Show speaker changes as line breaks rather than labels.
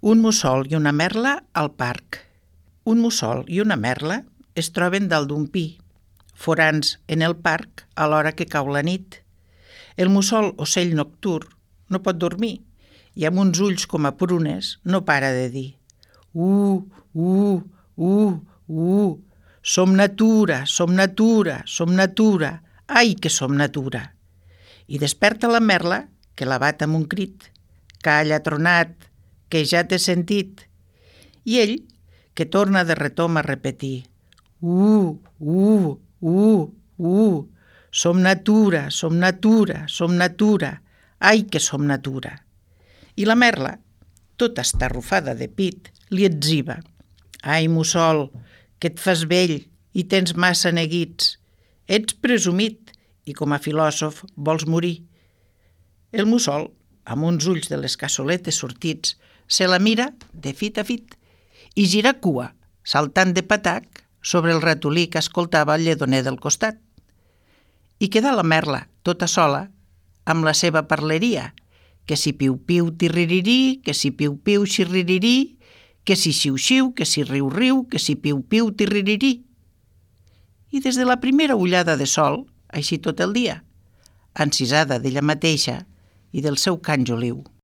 Un mussol i una merla al parc. Un mussol i una merla es troben dalt d'un pi, forans en el parc a l'hora que cau la nit. El mussol, ocell nocturn, no pot dormir i amb uns ulls com a prunes no para de dir som natura, som natura, som natura, ai que som natura. I desperta la merla, que la bat amb un crit. Calla, tronat, que ja t'he sentit. I ell, que torna de retom a repetir som natura, som natura, som natura, ai que som natura. I la merla, tota estarrufada de pit, li etziba. Ai, mussol, que et fas vell i tens massa neguits. Ets presumit i com a filòsof vols morir. El mussol, amb uns ulls de les cassoletes sortits, se la mira de fit a fit i gira cua, saltant de patac sobre el ratolí que escoltava el lledoner del costat. I queda la merla, tota sola, amb la seva parleria, que si piu-piu tirririrí, que si piu-piu xirririrí, que si xiu-xiu, que si riu-riu, que si piu-piu tirririrí. I des de la primera ullada de sol, així tot el dia, encisada d'ella mateixa i del seu cant joliu.